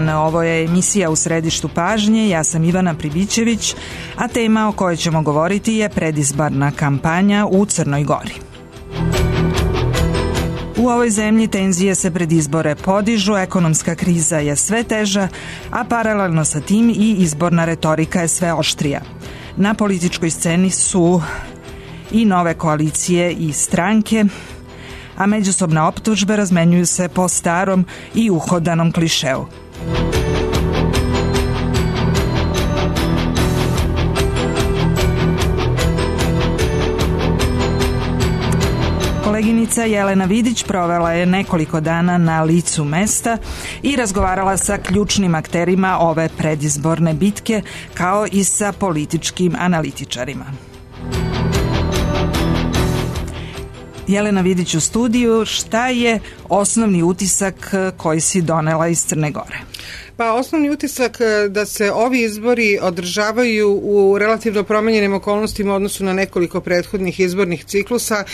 dan, ovo je emisija U središtu pažnje, ja sam Ivana Pribićević, a tema o kojoj ćemo govoriti je predizborna kampanja u Crnoj Gori. U ovoj zemlji tenzije se pred izbore podižu, ekonomska kriza je sve teža, a paralelno sa tim i izborna retorika je sve oštrija. Na političkoj sceni su i nove koalicije i stranke, a međusobne optužbe razmenjuju se po starom i uhodanom klišeu. Koleginica Jelena Vidić provela je nekoliko dana na licu mesta i razgovarala sa ključnim akterima ove predizborne bitke, kao i sa političkim analitičarima. Jelena Vidić u studiju, šta je osnovni utisak koji si donela iz Crne Gore? Pa osnovni utisak da se ovi izbori održavaju u relativno promenjenim okolnostima u odnosu na nekoliko prethodnih izbornih ciklusa.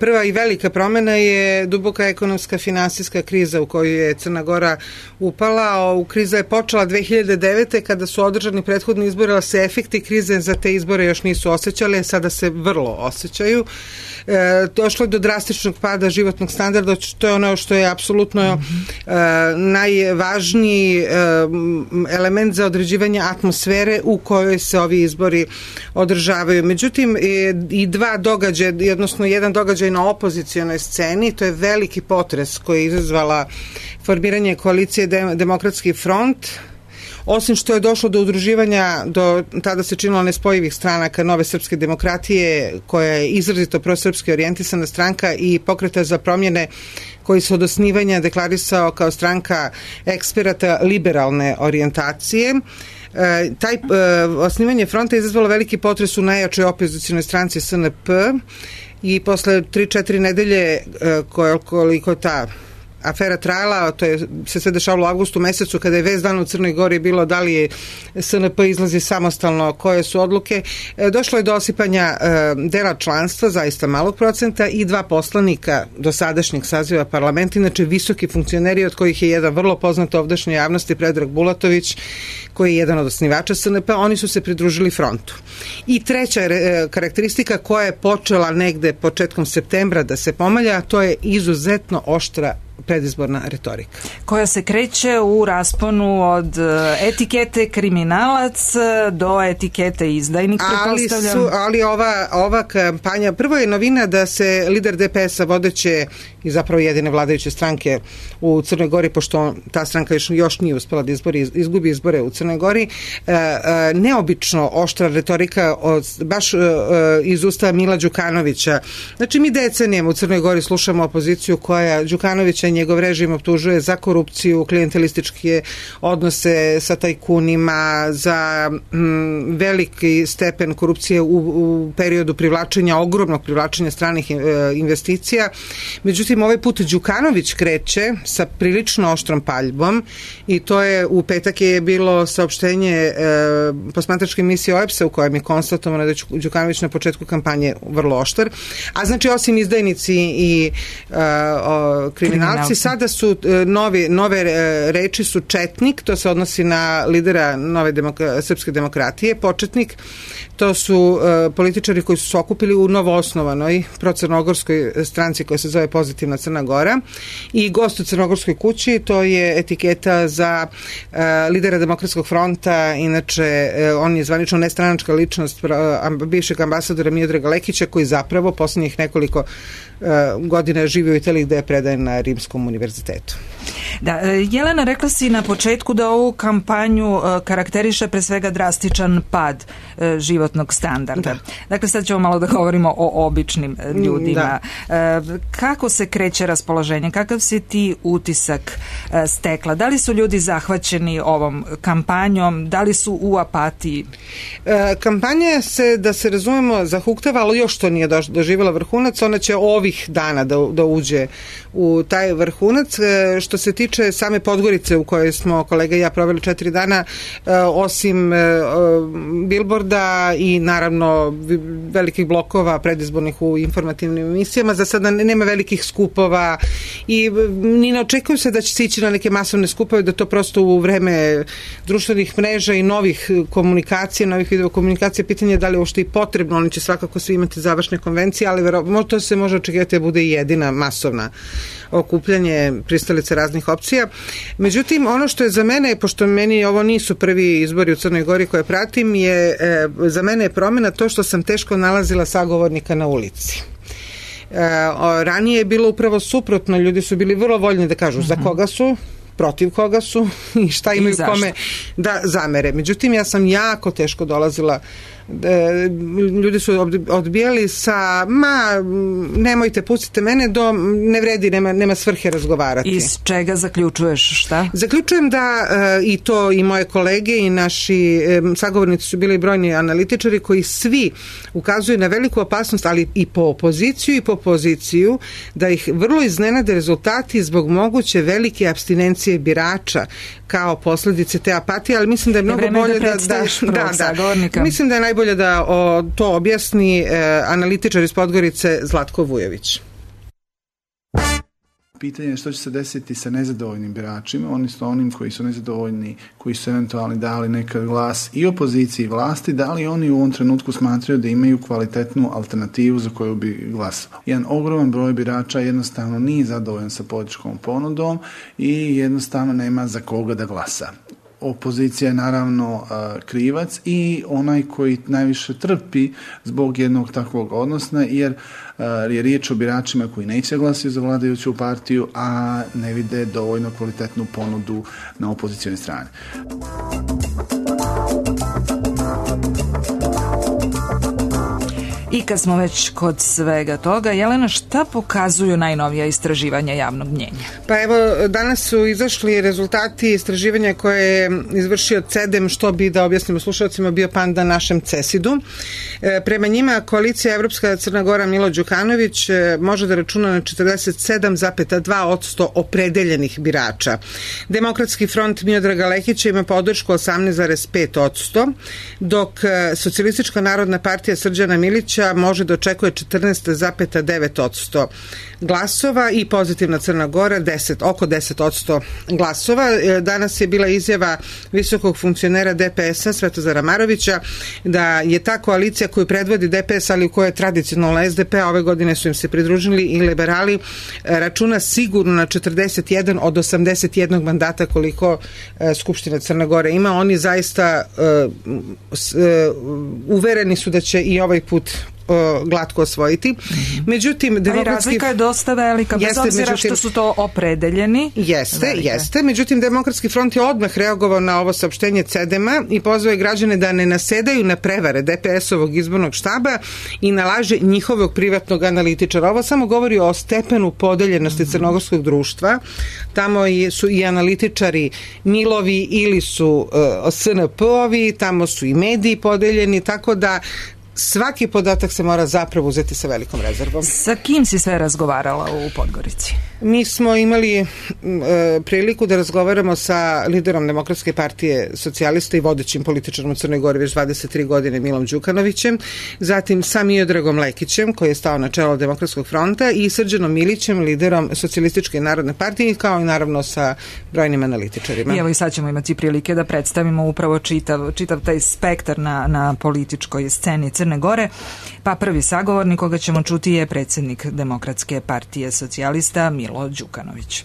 Prva i velika promena je duboka ekonomska finansijska kriza u koju je Crna Gora upala. Kriza je počela 2009. kada su održani prethodni izbori, ali se efekti krize za te izbore još nisu osjećali, sada se vrlo osjećaju. Došlo je do drastičnog pada životnog standarda, to je ono što je apsolutno najvažniji element za određivanje atmosfere u kojoj se ovi izbori održavaju. Međutim, i dva događaja, odnosno jedan događaj na opozicionoj sceni, to je veliki potres koji je izazvala formiranje koalicije Demokratski front. Osim što je došlo do udruživanja, tada se činilo nespojivih stranaka Nove srpske demokratije, koja je izrazito prosrpski orijentisana stranka, i Pokreta za promjene, koji se od osnivanja deklarisao kao stranka eksperata liberalne orijentacije. Osnivanje fronta je izazvalo veliki potres u najjačoj opozicionoj stranci SNP i posle 3-4 nedelje koliko ta afera trajala, to je se sve dešavalo u avgustu mesecu, kada je vest dana u Crnoj Gori bilo da li je SNP izlazi samostalno, koje su odluke. Došlo je do osipanja dela članstva, zaista malog procenta, i 2 poslanika do sadašnjeg saziva parlamenta, inače visoki funkcioneri, od kojih je jedan vrlo poznat ovdašnjoj javnosti, Predrag Bulatović, koji je jedan od osnivača SNP, oni su se pridružili frontu. I treća karakteristika koja je počela negde početkom septembra da se pomalja, to je izuzetno oštra predizborna retorika. Koja se kreće u rasponu od etikete kriminalac do etikete izdajnik, pretpostavljam. Ali ova kampanja, prvo je novina da se lider DPS-a, vodeće i zapravo jedine vladajuće stranke u Crnoj Gori, pošto ta stranka još nije uspela da izgubi izbore u Crnoj Gori, neobično oštra retorika baš iz usta Mila Đukanovića. Znači, mi decenijama u Crnoj Gori slušamo opoziciju koja Đukanovića i njegov režim optužuje za korupciju, klijentelističke odnose sa tajkunima, za veliki stepen korupcije u periodu ogromnog privlačenja stranih investicija. Međutim, ovaj put Đukanović kreće sa prilično oštrom paljbom, i to je u petak je bilo saopštenje posmatračke emisije OEBS-a u kojem je konstatovano da je Đukanović na početku kampanje vrlo oštar. A znači, osim izdajnici i kriminalci, sada su nove reči su četnik, to se odnosi na lidera Nove srpske demokratije, početnik, to su političari koji su se okupili u novoosnovanoj procrnogorskoj stranci koja se zove Pozitivna Crna Gora, i gost u Crnogorskoj kući, to je etiketa za lidera Demokratskog fronta, inače on je zvanično nestranačka ličnost bivšeg ambasadora Miodraga Lekića, koji zapravo poslednjih nekoliko godina živi u Italiji, gde je predajen na Rimskom univerzitetu. Da, Jelena, rekla si na početku da ovu kampanju karakteriše pre svega drastičan pad životnog standarda. Da. Dakle, sad ćemo malo da govorimo o običnim ljudima. Da. Kako se kreće raspoloženje? Kakav si ti utisak stekla? Da li su ljudi zahvaćeni ovom kampanjom? Da li su u apatiji? Kampanja se, da se razumemo, zahuktava, ali još to nije doživjela vrhunac. Ona će ovih dana da uđe u taj vrhunac. Što se tiče tiče same Podgorice u kojoj smo kolega i ja proveli 4 dana, osim bilborda i naravno velikih blokova predizbornih u informativnim emisijama, za sada nema velikih skupova i ni ne očekuju se da će se ići na neke masovne skupove, da to prosto u vreme društvenih mreža i novih komunikacija, novih videokomunikacija, pitanje je da li je uopšte i potrebno, oni će svakako svi imati završne konvencije, ali to se može očekivati da bude i jedina masovna okupljanje pristalice raznih opcija. Međutim, ono što je za mene, pošto meni ovo nisu prvi izbori u Crnoj Gori koje pratim, za mene je promjena to što sam teško nalazila sagovornika na ulici. Ranije je bilo upravo suprotno, ljudi su bili vrlo voljni da kažu za koga su, protiv koga su i šta imaju kome da zamere. Međutim, ja sam jako teško dolazila, ljudi su odbijali sa nemojte, pustite mene, ne vredi, nema svrhe razgovarati. Iz čega zaključuješ, šta? Zaključujem da i to i moje kolege i naši sagovornici su bili brojni analitičari koji svi ukazuju na veliku opasnost, ali i po opoziciju i po poziciju, da ih vrlo iznenade rezultati zbog moguće velike apstinencije birača kao posljedice te apatije, ali mislim da je mnogo bolje mislim da je najbolje da to objasni analitičar iz Podgorice Zlatko Vujović. Pitanje je što će se desiti sa nezadovoljnim biračima, onim koji su nezadovoljni, koji su eventualno dali nekad glas i opoziciji i vlasti, da li oni u ovom trenutku smatraju da imaju kvalitetnu alternativu za koju bi glasao. Jedan ogroman broj birača jednostavno nije zadovoljan sa političkom ponudom i jednostavno nema za koga da glasa. Opozicija je naravno krivac i onaj koji najviše trpi zbog jednog takvog odnosa, jer je riječ o biračima koji neće glasiti za vladajuću partiju, a ne vide dovoljno kvalitetnu ponudu na opozicijnoj strani. I kad smo već kod svega toga, Jelena, šta pokazuju najnovija istraživanja javnog mnjenja? Pa evo, danas su izašli rezultati istraživanja koje je izvršio CEDEM, što bi, da objasnimo slušalcima, bio panda našem CESID-u. Prema njima koalicija Evropska Crna Gora Milo Đukanović može da računa na 47,2% opredeljenih birača. Demokratski front Miodraga Lekića ima podršku 18,5%, dok Socijalistička narodna partija Srđana Milića može da očekuje 14,9% glasova i Pozitivna Crna Gora oko 10% glasova. Danas je bila izjava visokog funkcionera DPS-a Svetozara Marovića da je ta koalicija koju predvodi DPS, ali u kojoj je tradicionalno SDP, a ove godine su im se pridružili i liberali, računa sigurno na 41 od 81 mandata koliko Skupština Crne Gore ima. Oni zaista uvereni su da će i ovaj put glatko osvojiti. Međutim, razlika je dosta velika, bez obzira što su to opredeljeni. Jeste. Međutim, Demokratski front je odmah reagovao na ovo saopštenje CEDEM-a i pozvao je građane da ne nasedaju na prevare DPS-ovog izbornog štaba i na laže njihovog privatnog analitičara. Ovo samo govori o stepenu podeljenosti crnogorskog društva. Tamo su i analitičari Milovi ili su SNP-ovi, tamo su i mediji podeljeni, tako da svaki podatak se mora zapravo uzeti sa velikom rezervom. Sa kim si sve razgovarala u Podgorici? Mi smo imali priliku da razgovaramo sa liderom Demokratske partije socijalista i vodećim političarom u Crnoj Gori već 23 godine Milom Đukanovićem, zatim sa Miodragom Lekićem koji je stao na čelo Demokratskog fronta i Srđanom Milićem, liderom Socijalističke narodne partije, kao i naravno sa brojnim analitičarima. I evo i sad ćemo imati prilike da predstavimo upravo čitav taj spektar na političkoj sceni Crne Gore. Pa prvi sagovornik koga ćemo čuti je predsjednik Demokratske partije socijalista Milo Đukanović.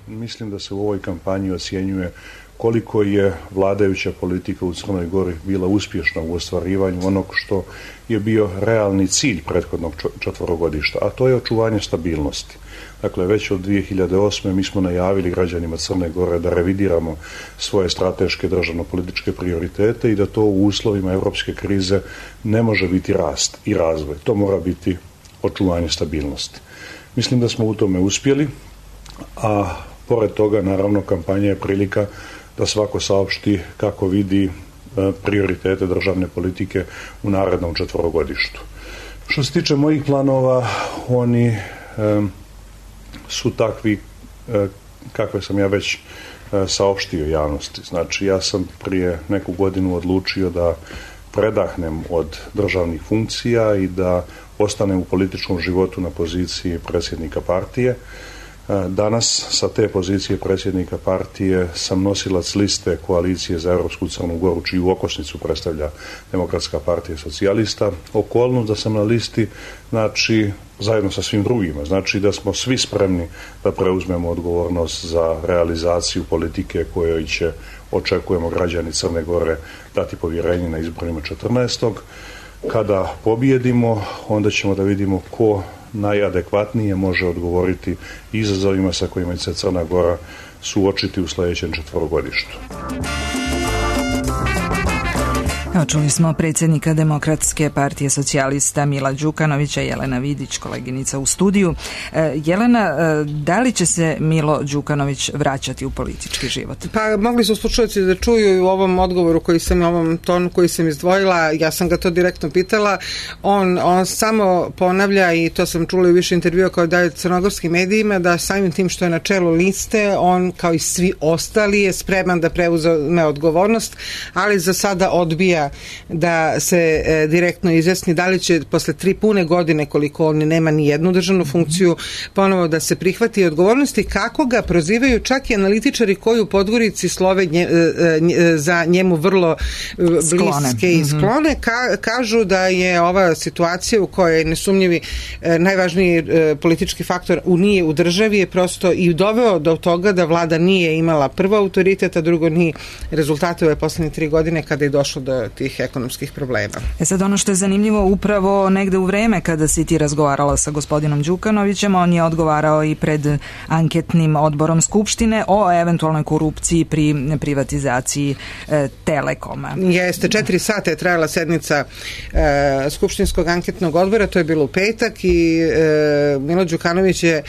Mislim da se u ovoj kampanji ocjenjuje koliko je vladajuća politika u Crnoj Gori bila uspješna u ostvarivanju onog što je bio realni cilj prethodnog četverogodišta, a to je očuvanje stabilnosti. Dakle, već od 2008. mi smo najavili građanima Crne Gore da revidiramo svoje strateške državno-političke prioritete i da to u uslovima europske krize ne može biti rast i razvoj. To mora biti očuvanje stabilnosti. Mislim da smo u tome uspjeli, a pored toga, naravno, kampanja je prilika da svako saopšti kako vidi prioritete državne politike u narednom četverogodištu. Što se tiče mojih planova, oni su takvi kakve sam ja već saopštio javnosti. Znači, ja sam prije neku godinu odlučio da predahnem od državnih funkcija i da ostanem u političkom životu na poziciji predsjednika partije. Danas sa te pozicije predsjednika partije sam nosilac liste koalicije za Europsku Crnu Goru, čiju okosnicu predstavlja Demokratska partija socijalista. Okolnost da sam na listi, znači, zajedno sa svim drugima, znači da smo svi spremni da preuzmemo odgovornost za realizaciju politike kojoj će, očekujemo, građani Crne Gore dati povjerenje na izborima 14. Kada pobijedimo, onda ćemo da vidimo ko najadekvatnije može odgovoriti izazovima sa kojima će se Crna Gora suočiti u sljedećem četverogodištu. Čuli smo predsjednika Demokratske partije socijalista Mila Đukanovića, Jelena Vidić, koleginica u studiju. Jelena, da li će se Milo Đukanović vraćati u politički život? Pa mogli su slušalci da čuju u ovom odgovoru koji sam, u ovom tonu koji sam izdvojila, ja sam ga to direktno pitala, on samo ponavlja, i to sam čula u više intervjua kao daje crnogorskim medijima, da samim tim što je na čelu liste, on kao i svi ostali je spreman da preuzme odgovornost, ali za sada odbija da se direktno izjasni da li će posle 3 pune godine, koliko on nema ni jednu državnu funkciju, ponovo da se prihvati odgovornosti, kako ga prozivaju čak i analitičari koji u Podgorici slove za njemu vrlo bliske i sklone. Kažu da je ova situacija u kojoj je nesumnjivi najvažniji politički faktor nije u državi je prosto i doveo do toga da vlada nije imala prvo autoritet, a drugo ni rezultate ove poslednje 3 godine kada je došlo do tih ekonomskih problema. Sad ono što je zanimljivo, upravo negde u vreme kada si ti razgovarala sa gospodinom Đukanovićem, on je odgovarao i pred anketnim odborom Skupštine o eventualnoj korupciji pri privatizaciji Telekoma. Jeste, 4 sata je trajala sednica Skupštinskog anketnog odbora, to je bilo u petak, i Milo Đukanović je,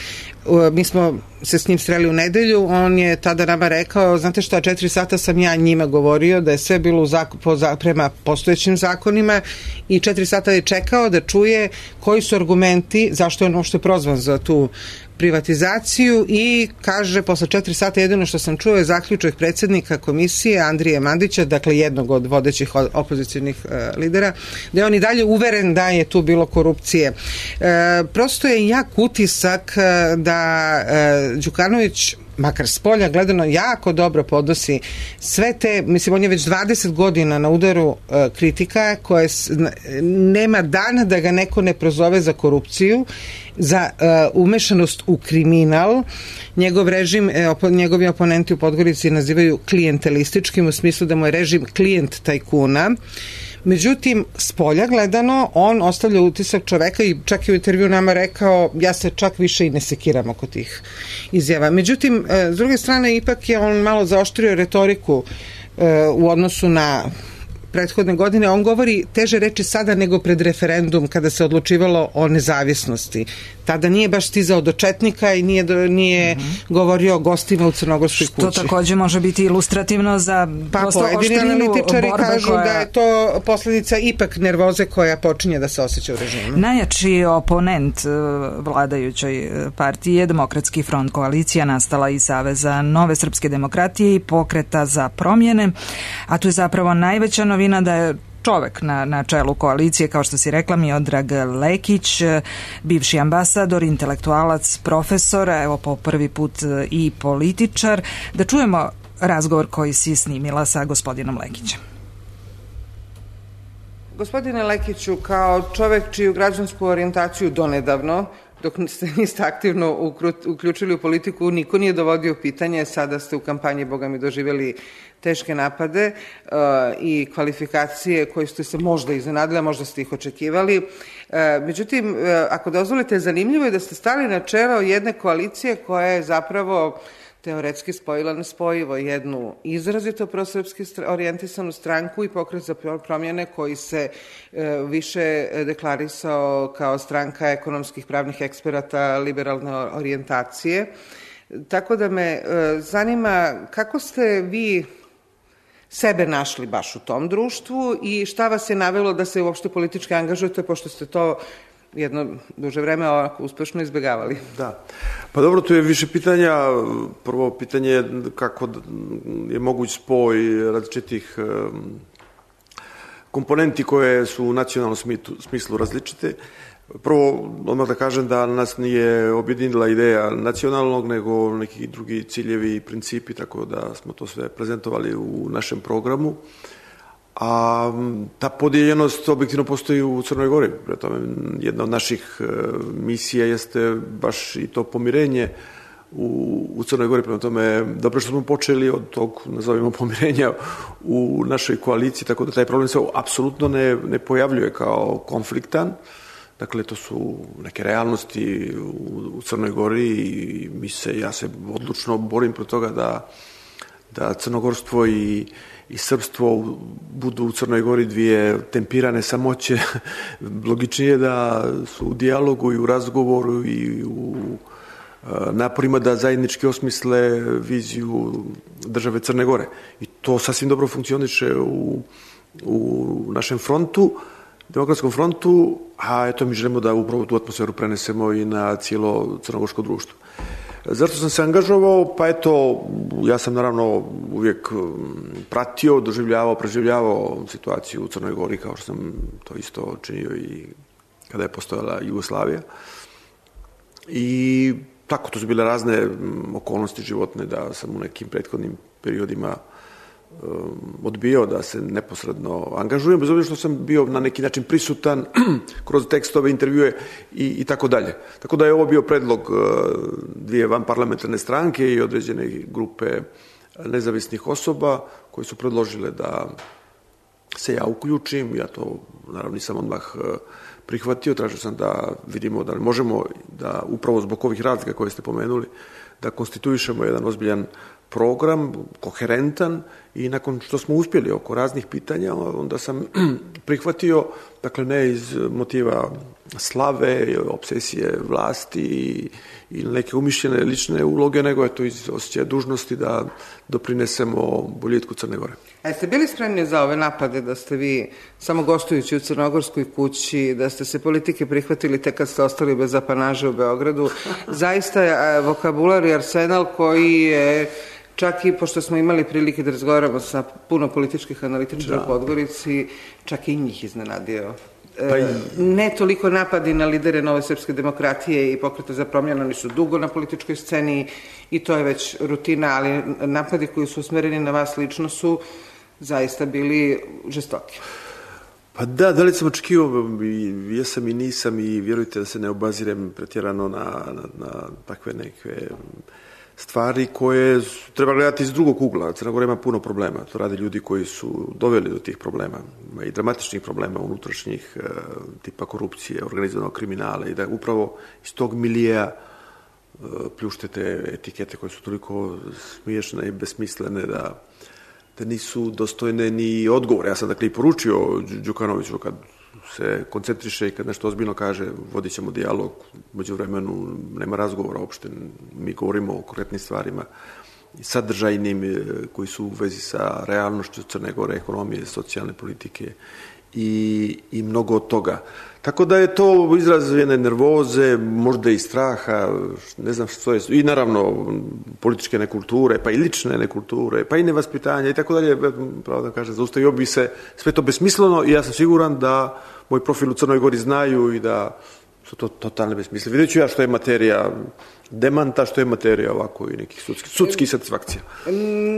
mi smo se s njim sreli u nedelju, on je tada nama rekao, znate šta, 4 sata sam ja njima govorio da je sve bilo prema postojećim zakonima, i 4 sata je čekao da čuje koji su argumenti, zašto je on uopšte prozvan za tu privatizaciju, i kaže, posle 4 sata jedino što sam čuo je zaključak predsjednika komisije Andrije Mandića, dakle jednog od vodećih opozicijnih lidera, da je on i dalje uveren da je tu bilo korupcije. Prosto je jak utisak da Đukanović, makar s polja gledano, jako dobro podnosi sve te, mislim, on je već 20 godina na udaru kritika koje nema dana da ga neko ne prozove za korupciju, za umešanost u kriminal. Njegov režim, njegovi oponenti u Podgorici nazivaju klijentelističkim, u smislu da mu je režim klijent tajkuna. Međutim, s polja gledano, on ostavlja utisak čoveka, i čak i u intervju nama rekao, ja se čak više i ne sekiram oko tih izjava. Međutim, s druge strane, ipak je on malo zaoštrio retoriku u odnosu na prethodne godine. On govori teže reči sada nego pred referendum kada se odlučivalo o nezavisnosti. Tada nije baš stizao do četnika i nije govorio o gostima u Crnogorskoj kući. Što takođe može biti ilustrativno za pojedini analitičari kažu da je to posljedica ipak nervoze koja počinje da se osjeća u režimu. Najjači oponent vladajućoj partiji je Demokratski front, koalicija nastala iz Saveza Nove srpske demokratije i Pokreta za promjene, a tu je zapravo najveća novina da je čovek na čelu koalicije, kao što si rekla, Miodrag Lekić, bivši ambasador, intelektualac, profesor, evo po prvi put i političar. Da čujemo razgovor koji si snimila sa gospodinom Lekićem. Gospodine Lekiću, kao čovek čiju građansku orijentaciju donedavno, dok ste niste aktivno uključili u politiku, niko nije dovodio u pitanje, sada ste u kampanji, boga mi, doživjeli teške napade i kvalifikacije koje ste se možda iznenadili, a možda ste ih očekivali. Međutim, ako dozvolite, zanimljivo je da ste stali na čelo jedne koalicije koja je zapravo teoretski spojila nespojivo, jednu izrazito prosrpski orijentisanu stranku i Pokret za promjene koji se više deklarisao kao stranka ekonomskih pravnih eksperata liberalne orijentacije. Tako da me zanima kako ste vi sebe našli baš u tom društvu i šta vas je navelo da se uopšte politički angažujete, pošto ste to jedno duže vreme ovako uspešno izbjegavali. Da. Pa dobro, tu je više pitanja. Prvo pitanje je kako je moguć spoj različitih komponenti koje su u nacionalnom smislu različite. Prvo, odmah da kažem da nas nije objedinila ideja nacionalnog, nego neki drugi ciljevi i principi, tako da smo to sve prezentovali u našem programu. A ta podijeljenost objektivno postoji u Crnoj Gori. Prema jedna od naših misija jeste baš i to pomirenje u Crnoj Gori. Prema tome, dobro što smo počeli od tog, nazovimo, pomirenja u našoj koaliciji, tako da taj problem se apsolutno ne pojavljuje kao konfliktan. Dakle, to su neke realnosti u Crnoj Gori i ja se odlučno borim protiv toga da crnogorstvo i srpstvo budu u Crnoj Gori dvije tempirane samoće. Logičnije da su u dijalogu i u razgovoru i u naporima da zajednički osmisle viziju države Crne Gore. I to sasvim dobro funkcioniše u našem frontu, demokratskom frontu, a eto mi želimo da upravo tu atmosferu prenesemo i na cijelo crnogorsko društvo. Zašto sam se angažovao? Pa eto, ja sam naravno uvijek pratio, doživljavao, preživljavao situaciju u Crnoj Gori, kao što sam to isto činio i kada je postojala Jugoslavija. I tako, to su bile razne okolnosti životne da sam u nekim prethodnim periodima odbijao da se neposredno angažujem, bez obzira što sam bio na neki način prisutan kroz tekstove, intervjue i tako dalje. Tako da je ovo bio predlog dvije vanparlamentarne stranke i određene grupe nezavisnih osoba koje su predložile da se ja uključim. Ja to naravno nisam odmah prihvatio, tražio sam da vidimo da li možemo da upravo zbog ovih razlika koje ste pomenuli da konstituišemo jedan ozbiljan program, koherentan, i nakon što smo uspjeli oko raznih pitanja, onda sam prihvatio, dakle ne iz motiva slave, obsesije vlasti i neke umišljene lične uloge, nego je to iz osjećaja dužnosti da doprinesemo boljitku Crne Gore. A jeste bili spremni za ove napade da ste vi samo gostujući u Crnogorskoj kući, da ste se politike prihvatili tek kad ste ostali bez apanaže u Beogradu? Zaista je vokabular i arsenal koji je, čak i pošto smo imali prilike da razgovaramo sa puno političkih analitičara u Podgorici, čak i njih iznenadio. Ne toliko napadi na lidere Nove srpske demokratije i Pokreta za promjenu, oni su dugo na političkoj sceni i to je već rutina, ali napadi koji su usmereni na vas lično su zaista bili žestoki. Pa da li sam očekivao, jesam i nisam, i vjerujte da se ne obazirem pretjerano na takve neke stvari koje treba gledati iz drugog ugla. Crna Gora ima puno problema. To rade ljudi koji su doveli do tih problema. Ima i dramatičnih problema unutrašnjih, tipa korupcije, organizovanog kriminala, i da upravo iz tog milija pljuštete etikete koje su toliko smiješne i besmislene da nisu dostojne ni odgovore. Ja sam dakle i poručio Đukanoviću kad se koncentriše i kad nešto ozbiljno kaže, vodit ćemo dijalog, međuvremenu nema razgovora uopšte, mi govorimo o konkretnim stvarima sadržajnim koji su u vezi sa realnošću Crne Gore, ekonomije, socijalne politike i mnogo od toga. Tako da je to izraz jedne nervoze, možda i straha, ne znam što je, i naravno političke nekulture, pa i lične nekulture, pa i nevaspitanja i tako dalje. Pravo da kažem, zaustavio bi se sve to besmisleno i ja sam siguran da moj profil u Crnoj Gori znaju i da su to totalne besmisle. Vidjet ću ja što je materija demanta, što je materija ovako i nekih sudskih satisfakcija.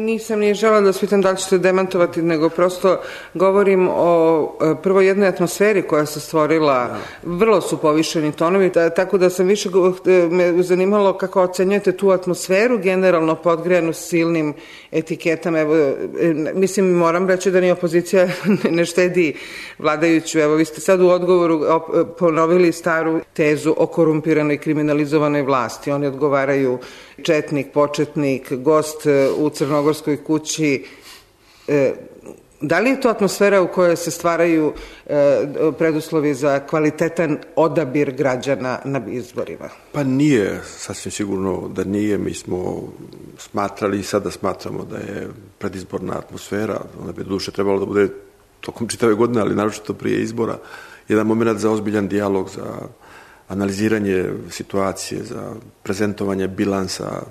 Nisam ni žela da pitam da li ćete demantovati, nego prosto govorim o prvo jednoj atmosferi koja se stvorila, vrlo su povišeni tonovi, tako da sam više me zanimalo kako ocenjujete tu atmosferu, generalno podgrejanu silnim etiketama. Evo, mislim, moram reći da ni opozicija ne štedi vladajuću. Evo, vi ste sad u odgovoru ponovili staru tezu o korumpiranoj kriminalizovanoj vlasti. Oni odgovaraju četnik, početnik, gost u Crnogorskoj kući. Da li je to atmosfera u kojoj se stvaraju preduslovi za kvalitetan odabir građana na izborima? Pa nije, sasvim sigurno da nije. Mi smo smatrali i sada smatramo da je predizborna atmosfera, ona bi doduše trebalo da bude tokom čitave godine, ali naročito prije izbora, jedan moment za ozbiljan dijalog, za analiziranje situacije, za prezentovanje bilansa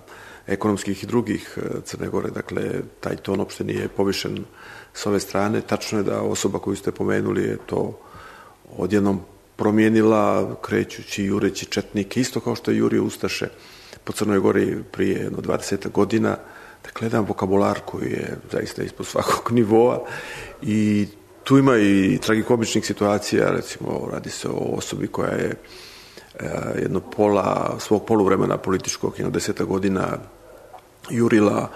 ekonomskih i drugih Crne Gore. Dakle, taj ton uopšte nije povišen s ove strane. Tačno je da osoba koju ste pomenuli je to odjednom promijenila, krećući, jureći četnike, isto kao što je jurio ustaše po Crnoj Gori prije jedno 20 godina. Dakle, jedan vokabular koji je zaista ispod svakog nivoa i tu ima i tragikomičnih situacija, recimo radi se o osobi koja je jedno pola svog poluvremena političkog, jedno 10 godina jurila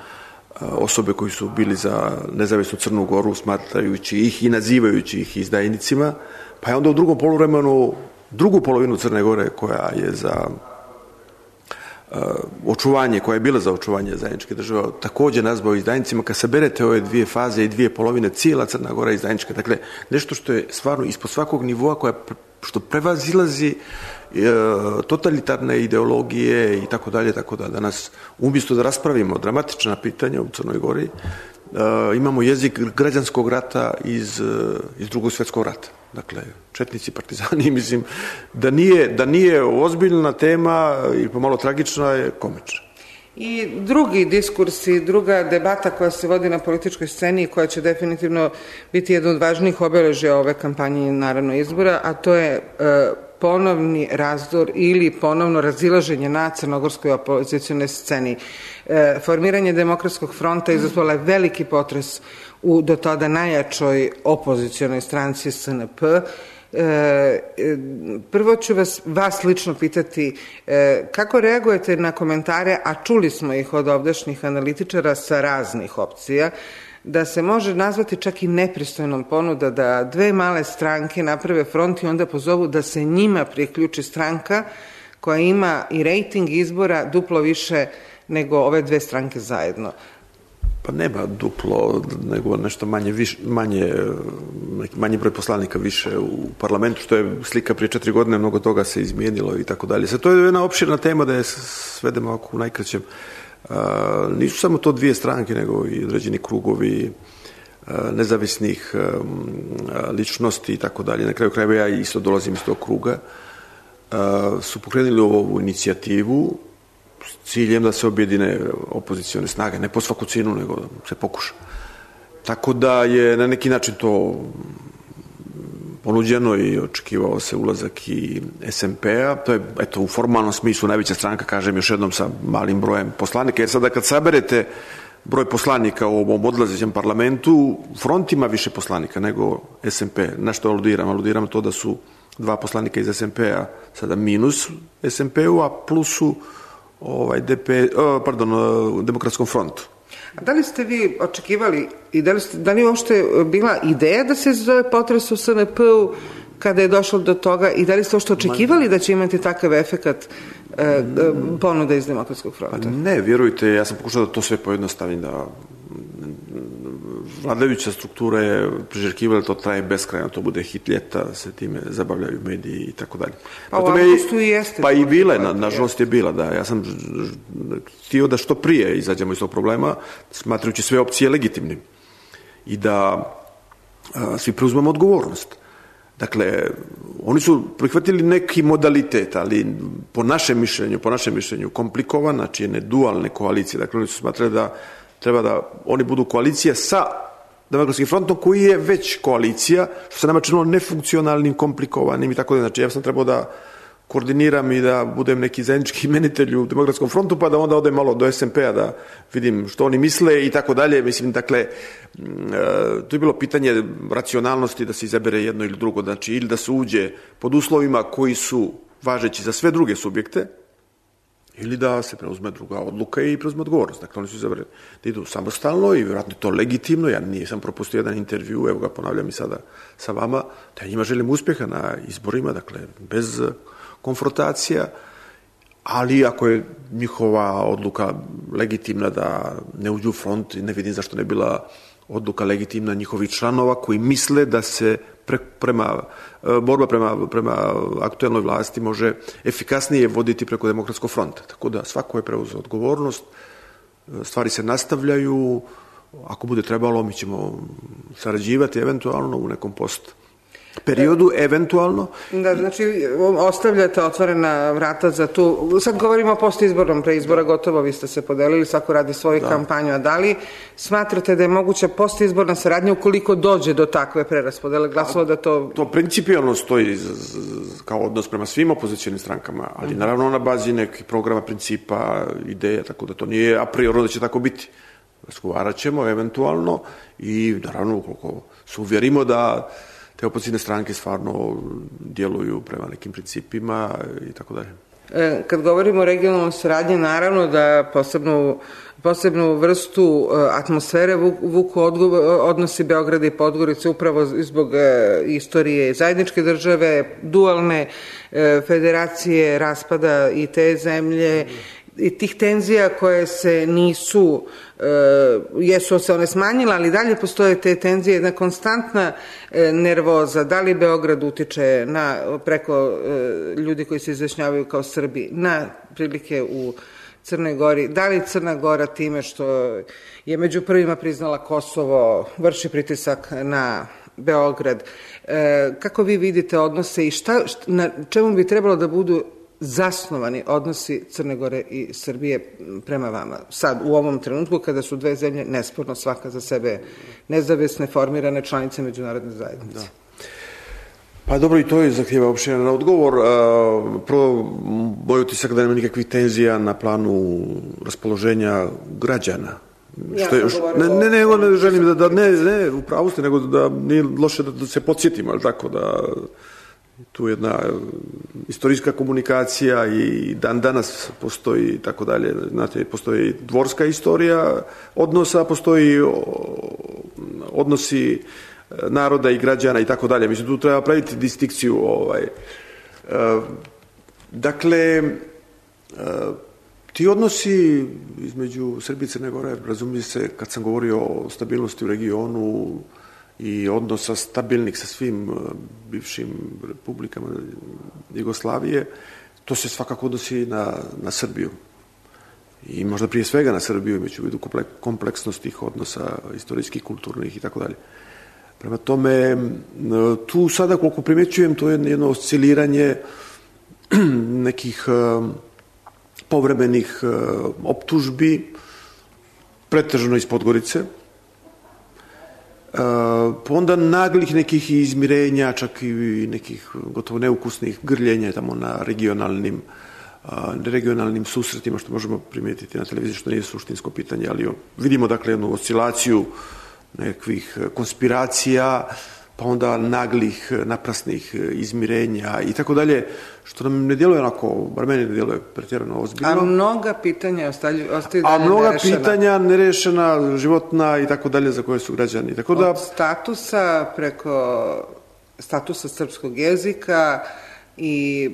osobe koji su bili za nezavisnu Crnu Goru, smatrajući ih i nazivajući ih izdajnicima, pa je onda u drugom poluvremenu drugu polovinu Crne Gore koja je za očuvanje, koja je bila za očuvanje zajedničke države, također nazvao izdajnicima. Kad saberete ove dvije faze i dvije polovine, cijela Crna Gora je izdajnička. Dakle, nešto što je stvarno ispod svakog nivoa, što prevazilazi totalitarne ideologije i tako dalje, tako da danas umjesto da raspravimo dramatična pitanja u Crnoj Gori, imamo jezik građanskog rata iz Drugog svjetskog rata. Dakle, četnici, partizani, mislim da nije ozbiljna tema i pomalo tragična, je komična. I drugi diskurs i druga debata koja se vodi na političkoj sceni i koja će definitivno biti jedan od važnijih obeležja ove kampanje i naravno izbora, a to je ponovni razdor ili ponovno razilaženje na crnogorskoj opozicionoj sceni. Formiranje Demokratskog fronta izazvala je veliki potres u do tada najjačoj opozicionoj stranci SNP. Prvo ću vas lično pitati kako reagujete na komentare, a čuli smo ih od ovdašnjih analitičara sa raznih opcija, da se može nazvati čak i nepristojnom ponuda da dve male stranke naprave front i onda pozovu da se njima priključi stranka koja ima i rejting izbora duplo više nego ove dve stranke zajedno. Pa nema duplo, nego nešto manji broj poslanika više u parlamentu, što je slika prije 4 godine, mnogo toga se izmijenilo i tako dalje. To je jedna opširna tema da je svedemo u najkraćem. Nisu samo to dvije stranke, nego i određeni krugovi nezavisnih ličnosti i tako dalje. Na kraju krajeva ja isto dolazim iz tog kruga. Su pokrenuli ovu inicijativu s ciljem da se objedine opozicione snage, ne po svaku cijenu, nego da se pokuša. Tako da je na neki način to ponuđeno i očekivao se ulazak i SMP-a. To je, u formalnom smislu najveća stranka, kažem još jednom, sa malim brojem poslanika, jer sada kad saberete broj poslanika u ovom odlazećem parlamentu, front ima više poslanika nego SMP. Na što aludiram? Aludiram to da su 2 poslanika iz SMP-a sada minus SMP-u, a plusu Demokratskom frontu. A da li ste vi očekivali i da li uopšte bila ideja da se zove potres u SNP-u kada je došlo do toga i da li ste uopšte očekivali da će imati takav efekat ponuda iz Demokratskog fronta? Ne, vjerujte, ja sam pokušao da to sve pojednostavim, da vladajuća struktura je priželjkivala, to traje beskrajno, to bude hit ljeta, se time zabavljaju mediji i tako dalje. Pa u avgustu i jeste. Pa i bila je, nažalost je bila, da. Ja sam htio da što prije izađemo iz tog problema, smatrajući sve opcije legitimnim i da svi preuzmemo odgovornost. Dakle, oni su prihvatili neki modalitet, ali po našem mišljenju komplikovan, znači jedne dualne koalicije. Dakle, oni su smatrali da treba da oni budu koalicija sa Demokratskim frontom, koji je već koalicija, što se nama činilo nefunkcionalnim, komplikovanim i tako da. Znači, ja sam trebao da koordiniram i da budem neki zajednički imenitelj u Demokratskom frontu, pa da onda odem malo do SMP-a da vidim što oni misle i tako dalje. Mislim, dakle, to je bilo pitanje racionalnosti da se izabere jedno ili drugo, znači ili da se uđe pod uslovima koji su važeći za sve druge subjekte, ili da se preuzme druga odluka i preuzme odgovornost. Dakle, oni su izabrali da idu samostalno i vjerojatno to legitimno. Ja nisam propustio jedan intervju, evo ga ponavljam i sada sa vama, da njima želim uspjeha na izborima, dakle, bez konfrontacija, ali ako je njihova odluka legitimna da ne uđu u front, ne vidim zašto ne bila odluka legitimna njihovih članova koji misle da se borba prema aktuelnoj vlasti može efikasnije voditi preko Demokratskog fronta. Tako da svako je preuzeo odgovornost, stvari se nastavljaju, ako bude trebalo, mi ćemo sarađivati eventualno u nekom post periodu, eventualno. Da, znači, ostavljate otvorena vrata za tu, sad govorimo o postizbornom, pre izbora gotovo, vi ste se podelili, svako radi svoju kampanju, a da li smatrate da je moguća postizborna saradnja ukoliko dođe do takve preraspodele glasova da to... To principijalno stoji kao odnos prema svim opozicionim strankama, ali naravno na bazi nekih programa, principa, ideja, tako da to nije a priori da će tako biti. Razgovarat ćemo eventualno i naravno ukoliko se uvjerimo da te opozicijne stranke stvarno djeluju prema nekim principima i tako dalje. Kad govorimo o regionalnoj saradnji, naravno da posebnu vrstu atmosfere vuku odnosi Beograda i Podgorice upravo zbog istorije zajedničke države, dualne federacije, raspada i te zemlje i tih tenzija koje se nisu, jesu se one smanjile, ali dalje postoje te tenzije, jedna konstantna nervoza, da li Beograd utiče preko ljudi koji se izjašnjavaju kao Srbi na prilike u Crnoj Gori, da li Crna Gora time što je među prvima priznala Kosovo, vrši pritisak na Beograd. Kako vi vidite odnose i na čemu bi trebalo da budu zasnovani odnosi Crne Gore i Srbije prema vama? Sad, u ovom trenutku, kada su dve zemlje nesporno svaka za sebe nezavisne, formirane članice međunarodne zajednice. Da. Pa dobro, i to je zahtjeva opširan odgovor. Prvo, moj utisak da nema nikakvih tenzija na planu raspoloženja građana. Ne želim ne, u pravu ste, nego da nije loše da se podsjetimo, ali tako da tu jedna istorijska komunikacija i dan danas postoji i tako dalje. Znate, postoji dvorska istorija odnosa, postoji odnosi naroda i građana i tako dalje. Mislim, tu treba praviti distinkciju. Dakle, ti odnosi između Srbije i Crne Gore, razumije se, kad sam govorio o stabilnosti u regionu i odnosa stabilnih sa svim bivšim republikama Jugoslavije, to se svakako odnosi na Srbiju. I možda prije svega na Srbiju, imajući u vidu kompleksnost tih odnosa, istorijskih, kulturnih i tako dalje. Prema tome, tu sada koliko primećujem, to je jedno osciliranje nekih povremenih optužbi, pretežno iz Podgorice, pa onda naglih nekih izmirenja, čak i nekih gotovo neukusnih grljenja tamo na regionalnim susretima, što možemo primijetiti na televiziji, što nije suštinsko pitanje, ali vidimo dakle jednu oscilaciju nekakvih konspiracija, pa onda naglih, naprasnih izmirenja i tako dalje, što nam ne djeluje onako, bar meni ne djeluje pretjerano ozbiljno. A mnoga pitanja ostaju dalje nerešena. A mnoga pitanja nerešena, životna i tako dalje, za koje su građani. Tako da... Od statusa preko statusa srpskog jezika i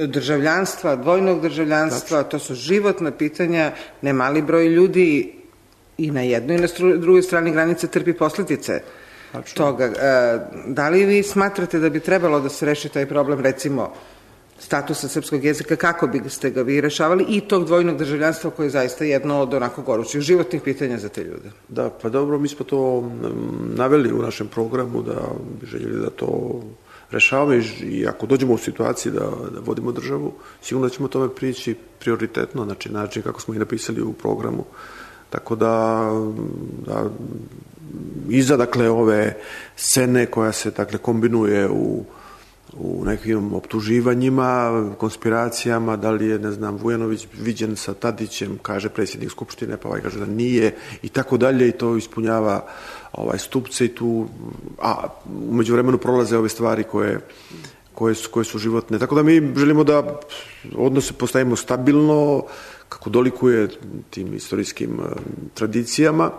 državljanstva, dvojnog državljanstva, to su životna pitanja, ne mali broj ljudi i na jednoj i na drugoj strani granice trpi posljedice toga. Da li vi smatrate da bi trebalo da se reši taj problem, recimo, statusa srpskog jezika, kako biste ga vi rešavali, i tog dvojnog državljanstva koje je zaista jedno od onako gorućih životnih pitanja za te ljude? Da, pa dobro, mi smo to naveli u našem programu, da bi željeli da to rešavamo i ako dođemo u situaciji da vodimo državu, sigurno da ćemo tome prići prioritetno, znači način kako smo i napisali u programu. Tako da iza dakle ove scene koja se dakle kombinuje u nekim optuživanjima, konspiracijama, da li je, ne znam, Vujanović viđen sa Tadićem, kaže predsjednik Skupštine, pa kaže da nije i tako dalje, i to ispunjava stupce i tu, a u međuvremenu prolaze ove stvari koje su životne. Tako da mi želimo da odnose postavimo stabilno, kako dolikuje tim istorijskim tradicijama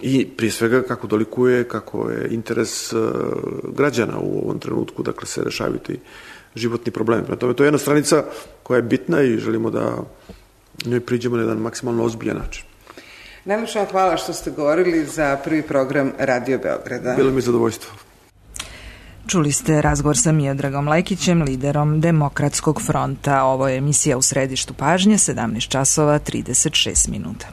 i prije svega kako dolikuje, kako je interes građana u ovom trenutku, dakle se rešavaju ti životni problemi. Prema tome, to je jedna stranica koja je bitna i želimo da njoj priđemo na jedan maksimalno ozbiljan način. Najlepše vam hvala što ste govorili za prvi program Radio Beograda. Bilo mi je zadovoljstvo. Čuli ste razgovor sa Miodragom Lekićem, liderom Demokratskog fronta. Ovo je emisija U središtu pažnje, 17 časova 36 minuta.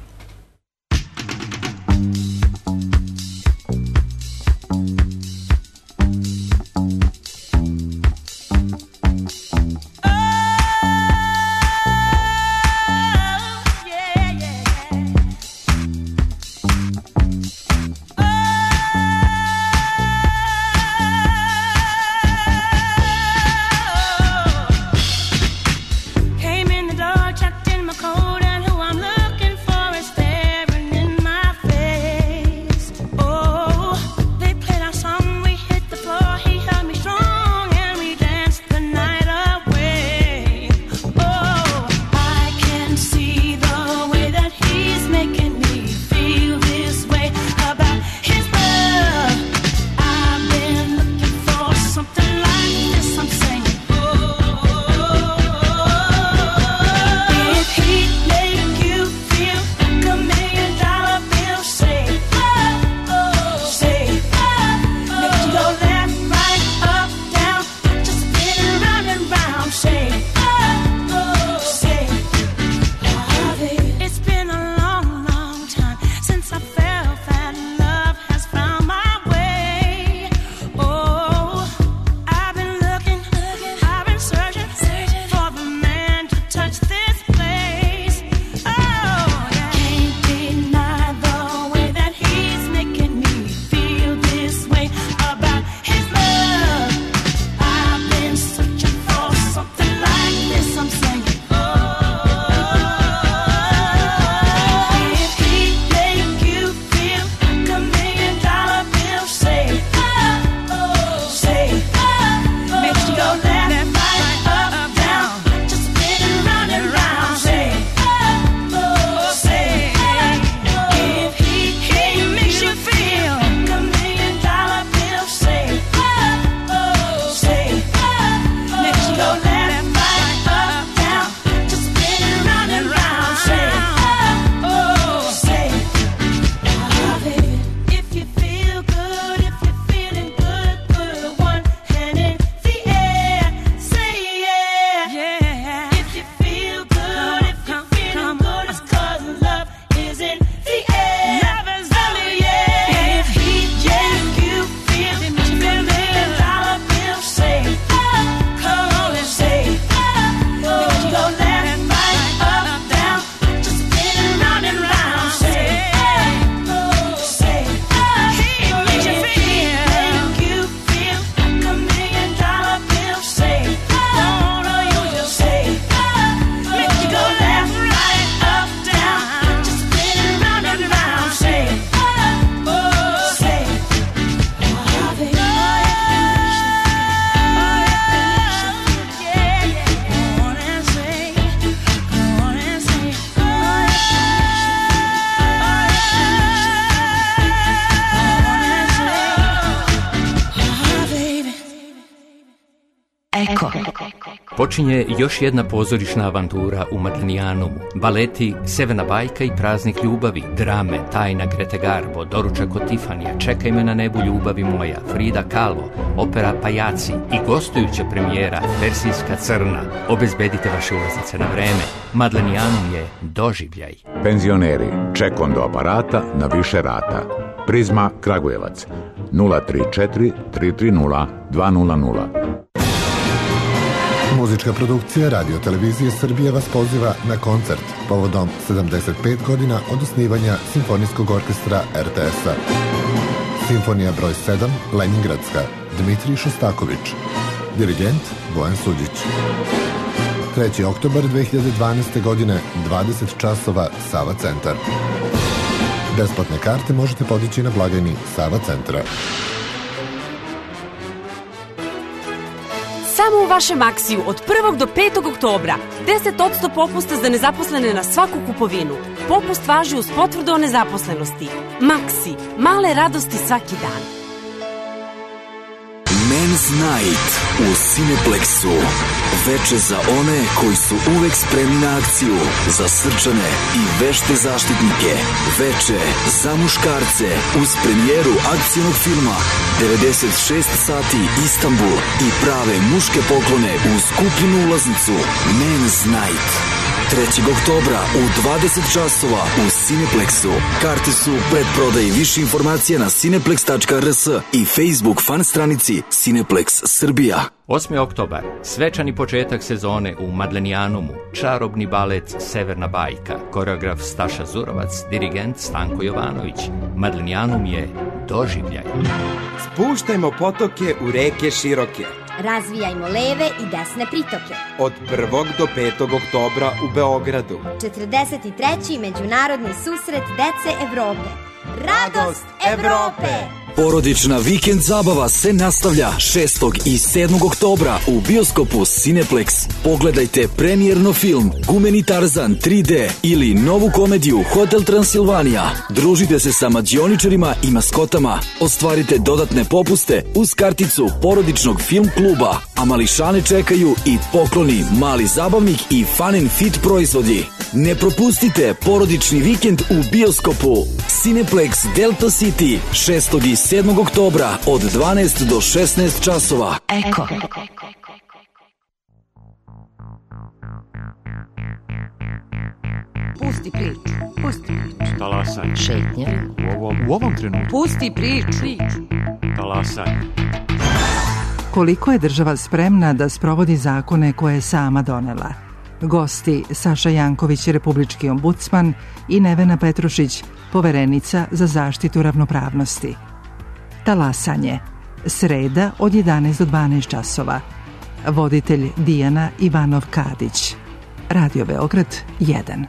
Eko. Počinje još jedna pozorišna avantura u Madlenijanumu. Baleti Severna bajka i Praznik ljubavi, drame Tajna Grete Garbo, Doručak od Tifanija, Čekaj me na nebu ljubavi moja, Frida Kahlo, opera Pajaci i gostujuća premijera Persijska crna. Obezbedite vaše ulaznice na vreme. Madlenijanum je doživljaj. Penzioneri, čekom do aparata na više rata. Prizma Kragujevac 034 330 200. Muzička produkcija Radio Televizije Srbije vas poziva na koncert povodom 75 godina od osnivanja Simfonijskog orkestra RTS-a. Simfonija broj 7, Leningradska, Dmitrij Šostaković. Dirigent Bojan Suđić. 3. oktobar 2012. godine, 20 časova, Sava centar. Besplatne karte možete podići na blagajni Sava centra. Samo u vašem Maksiju od 1. do 5. oktobra 10% popusta za nezaposlene na svaku kupovinu. Popust važi uz potvrdu o nezaposlenosti. Maksi, male radosti svaki dan. Men's Night u Cineplexu. Veče za one koji su uvek spremni na akciju, za srčane i vešte zaštitnike. Veče za muškarce uz premijeru akcijnog filma 96 sati Istanbul i prave muške poklone uz kupljenu ulaznicu. Men's Night. 3. oktobra u 20 časova u Cineplexu. Karte su predprodaji. Više informacija na cineplex.rs i Facebook fan stranici Cineplex Srbija. 8. oktobar, svečani početak sezone u Madlenijanumu, čarobni balet Severna bajka, koreograf Staša Zurovac, dirigent Stanko Jovanović. Madlenijanum je doživljaj. Spuštajmo potoke u reke široke. Razvijajmo leve i desne pritoke. Od 1. do 5. oktobra u Beogradu. 43. međunarodni susret dece Evrope. Radost Evrope! Porodična vikend zabava se nastavlja 6. i 7. oktobra u bioskopu Cineplex. Pogledajte premijerno film Gumeni Tarzan 3D ili novu komediju Hotel Transilvanija. Družite se sa mađioničarima i maskotama. Ostvarite dodatne popuste uz karticu porodičnog film kluba. A mališane čekaju i pokloni, mali zabavnik i fun and fit proizvodi. Ne propustite porodični vikend u bioskopu Cineplex Delta City 6. i 7. oktobra od 12 do 16 časova. Eko. Pusti priču. Pusti priču. Talasanje. Šetnja. U ovom trenutku. Pusti priču. Talasanje. Koliko je država spremna da sprovodi zakone koje je sama donela? Gosti Saša Janković, republički ombudsman, i Nevena Petrušić, poverenica za zaštitu ravnopravnosti. Talasanje. Sreda od 11 do 12 časova. Voditelj Dijana Ivanov-Kadić. Radio Beograd 1.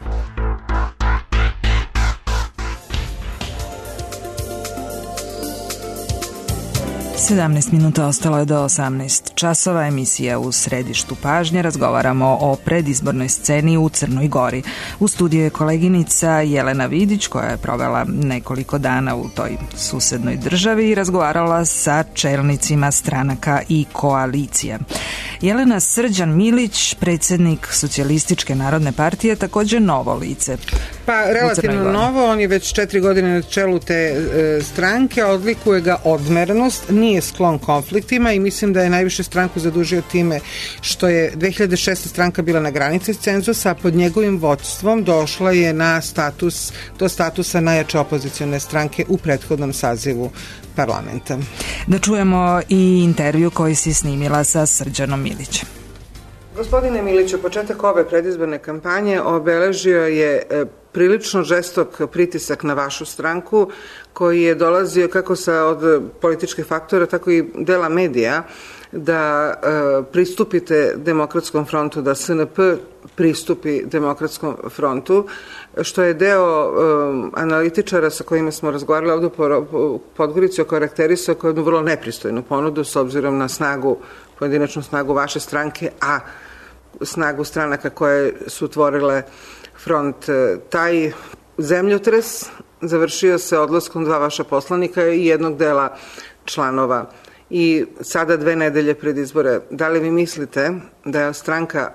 17 minuta ostalo je do 18 časova. Emisija U središtu pažnje. Razgovaramo o predizbornoj sceni u Crnoj Gori. U studiju je koleginica Jelena Vidić, koja je provela nekoliko dana u toj susednoj državi i razgovarala sa čelnicima stranaka i koalicija. Jelena, Srđan Milić, predsjednik Socijalističke narodne partije, također novo lice. Pa relativno novo, on je već 4 godine na čelu te stranke, odlikuje ga odmerenost, nije sklon konfliktima i mislim da je najviše stranku zadužio time što je 2006. stranka bila na granici cenzusa, a pod njegovim vodstvom došla je do statusa najjače opozicione stranke u prethodnom sazivu parlamenta. Da čujemo i intervju koji si snimila sa Srđanom Milićem. Gospodine Miliću, početak ove predizborne kampanje obeležio je prilično žestok pritisak na vašu stranku, koji je dolazio kako od političkih faktora, tako i dela medija, da pristupite Demokratskom frontu, da SNP pristupi Demokratskom frontu, što je deo analitičara sa kojima smo razgovarali ovdje u Podgorici okarakterisao kao jednu vrlo nepristojnu ponudu s obzirom na pojedinačnu snagu vaše stranke, a snagu stranaka koje su tvorile front. Taj zemljotres završio se odlaskom 2 vaša poslanika i jednog dela članova i sada 2 nedelje pred izbore. Da li vi mislite da je stranka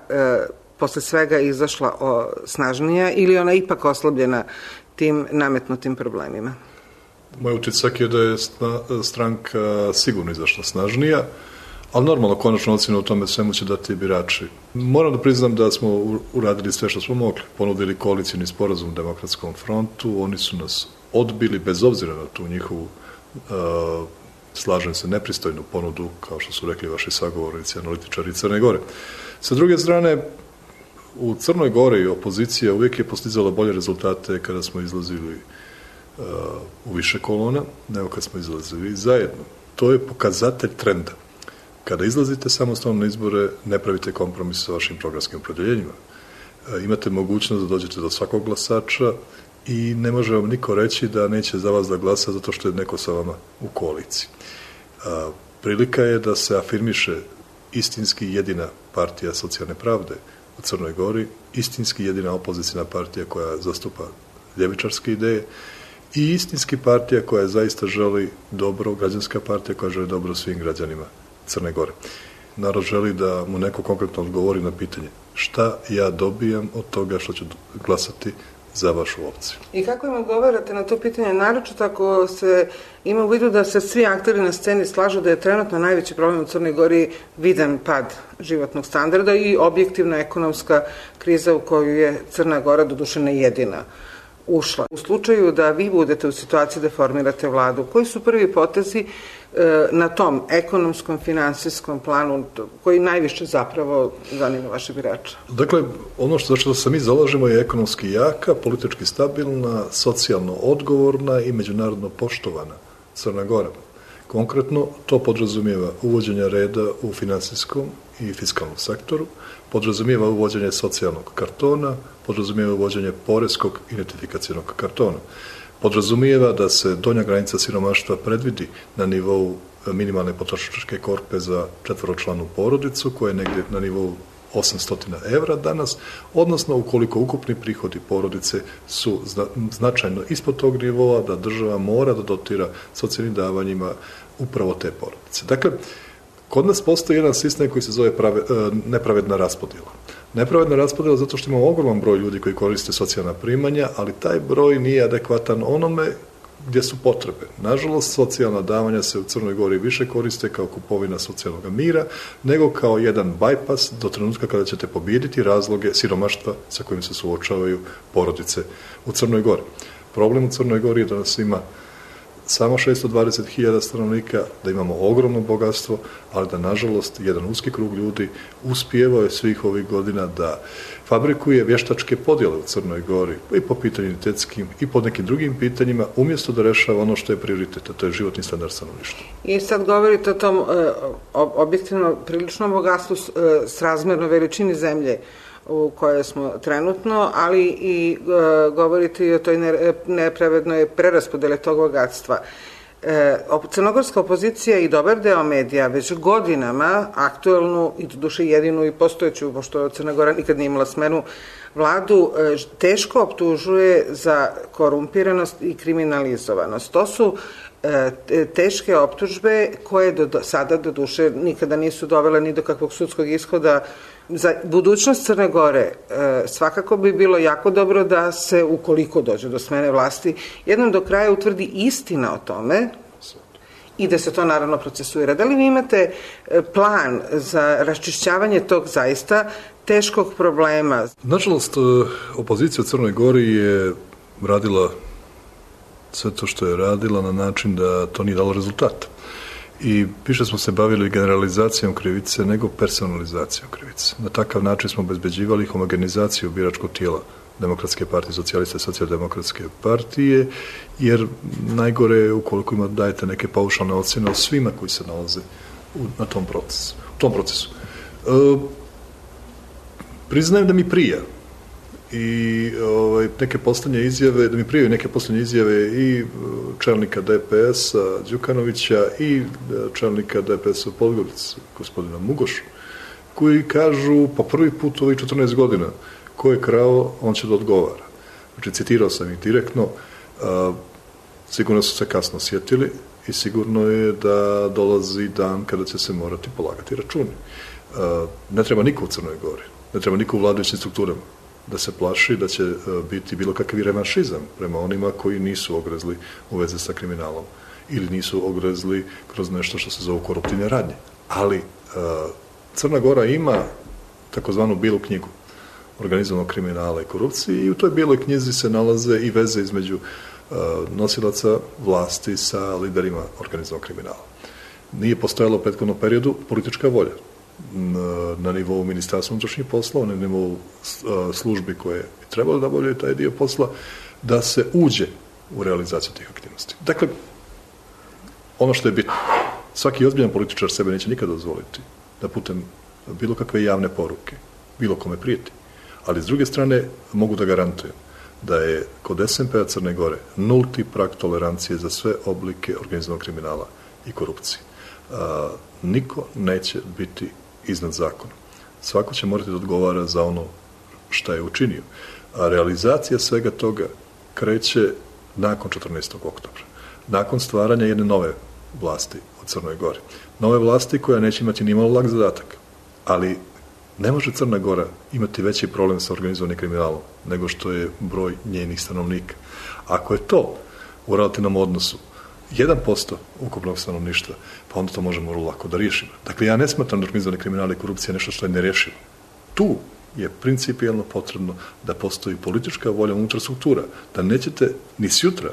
posle svega izašla snažnija ili ona ipak oslabljena tim nametnutim problemima? Moj utisak je da je stranka sigurno izašla snažnija, ali normalno konačno ocjenu o tome svemu će dati birači. Moram da priznam da smo uradili sve što smo mogli. Ponudili koalicijni sporazum Demokratskom frontu, oni su nas odbili bez obzira na tu njihovu slažem se nepristojnu ponudu, kao što su rekli vaši sagovornici, analitičari Crne Gore. Sa druge strane, u Crnoj Gori opozicija uvijek je postizala bolje rezultate kada smo izlazili u više kolona, nego kad smo izlazili zajedno. To je pokazatelj trenda. Kada izlazite samostalno na izbore, ne pravite kompromis sa vašim programskim opredjeljenjima. Imate mogućnost da dođete do svakog glasača i ne može vam niko reći da neće za vas da glasa zato što je neko sa vama u koaliciji. Prilika je da se afirmiše istinski jedina partija socijalne pravde u Crnoj Gori, istinski jedina opozicijna partija koja zastupa ljevičarske ideje i istinski partija koja zaista želi dobro, građanska partija koja želi dobro svim građanima Crne Gore. Narod želi da mu neko konkretno odgovori na pitanje šta ja dobijam od toga što ću glasati za vašu opciju. I kako im odgovarate na to pitanje, naročito ako se ima u vidu da se svi akteri na sceni slažu da je trenutno najveći problem u Crnoj Gori vidan pad životnog standarda i objektivna ekonomska kriza u koju je Crna Gora doduše ne jedina ušla. U slučaju da vi budete u situaciji da formirate vladu, koji su prvi potezi na tom ekonomskom, finansijskom planu koji najviše zapravo zanima vaše birače? Dakle, ono što se mi zalažemo je ekonomski jaka, politički stabilna, socijalno odgovorna i međunarodno poštovana Crna Gora. Konkretno, to podrazumijeva uvođenje reda u finansijskom i fiskalnom sektoru, podrazumijeva uvođenje socijalnog kartona, podrazumijeva uvođenje poreskog identifikacionog kartona. Podrazumijeva da se donja granica siromaštva predvidi na nivou minimalne potrošačke korpe za 4-članu porodicu, koja je negdje na nivou 800 evra danas, odnosno ukoliko ukupni prihodi porodice su značajno ispod tog nivoa, da država mora da dotira socijalnim davanjima upravo te porodice. Dakle, kod nas postoji jedan sistem koji se zove nepravedna raspodjela. Nepravedna raspodjela zato što imamo ogroman broj ljudi koji koriste socijalna primanja, ali taj broj nije adekvatan onome gdje su potrebe. Nažalost, socijalna davanja se u Crnoj Gori više koriste kao kupovina socijalnog mira, nego kao jedan bajpas do trenutka kada ćete pobijediti razloge siromaštva sa kojim se suočavaju porodice u Crnoj Gori. Problem u Crnoj Gori je da nas ima samo 620.000 stanovnika, da imamo ogromno bogatstvo, ali da, nažalost, jedan uski krug ljudi uspijevao je svih ovih godina da fabrikuje vještačke podjele u Crnoj Gori i po pitanju identitetskim i po nekim drugim pitanjima, umjesto da rešava ono što je prioritet, a to je životni standard stanovništva. I sad govorite o tom objektivno priličnom bogatstvu srazmerno veličini zemlje u kojoj smo trenutno, ali i govoriti o toj nepravednoj preraspodele tog bogatstva. Crnogorska opozicija i dobar deo medija već godinama aktuelnu i doduše jedinu i postojeću, pošto Crna Gora nikad nije imala smenu vladu, teško optužuje za korumpiranost i kriminalizovanost. To su teške optužbe koje do sada doduše nikada nisu dovele ni do kakvog sudskog ishoda. Za budućnost Crne Gore svakako bi bilo jako dobro da se, ukoliko dođe do smene vlasti, jednom do kraja utvrdi istina o tome i da se to naravno procesuira. Da li vi imate plan za raščišćavanje tog zaista teškog problema? Nažalost, opozicija u Crnoj Gori je radila sve to što je radila na način da to nije dalo rezultata. I više smo se bavili generalizacijom krivice nego personalizacijom krivice. Na takav način smo obezbeđivali homogenizaciju biračkog tijela Demokratske partije, socijaliste, socijaldemokratske partije, jer najgore je ukoliko dajete neke paušalne ocjene o svima koji se nalaze u tom procesu. Priznajem da mi prija i neke posljednje izjave, da mi prijavaju neke posljednje izjave i čelnika DPS-a Đukanovića i čelnika DPS-a u Podgorici, gospodina Mugoša, koji kažu po prvi put u ovih 14 godina ko je krao, on će da odgovara. Znači, citirao sam ih direktno, sigurno su se kasno sjetili i sigurno je da dolazi dan kada će se morati polagati računi. Ne treba niko u Crnoj Gori, ne treba niko u vladajućim strukturama da se plaši da će biti bilo kakvi revanšizam prema onima koji nisu ogrezli u veze sa kriminalom ili nisu ogrezli kroz nešto što se zove koruptivne radnje. Ali Crna Gora ima takozvanu bilu knjigu organizovanog kriminala i korupcije i u toj bijeloj knjizi se nalaze i veze između nosilaca vlasti sa liderima organizovanog kriminala. Nije postojalo u prethodnom periodu politička volja na nivou Ministarstva unutrašnjih poslova, na nivou službi koje bi trebalo da obavljaju taj dio posla, da se uđe u realizaciju tih aktivnosti. Dakle, ono što je bitno, svaki ozbiljan političar sebe neće nikada dozvoliti da putem bilo kakve javne poruke, bilo kome prijeti. Ali s druge strane mogu da garantujem da je kod SMP-a Crne Gore nulti prag tolerancije za sve oblike organizovanog kriminala i korupcije. Niko neće biti iznad zakona. Svako će morati da odgovara za ono šta je učinio. A realizacija svega toga kreće nakon 14. oktobra. Nakon stvaranja jedne nove vlasti u Crnoj Gori. Nove vlasti koja neće imati ni malo lak zadatak. Ali ne može Crna Gora imati veći problem sa organizovanim kriminalom nego što je broj njenih stanovnika. Ako je to u relativnom odnosu 1% ukupnog stanovništva, pa onda to možemo vrlo lako da riješimo. Dakle, ja ne smatram da organizovani kriminal i korupcija nešto što je nerešivo. Tu je principijelno potrebno da postoji politička volja unutar struktura, da nećete ni sutra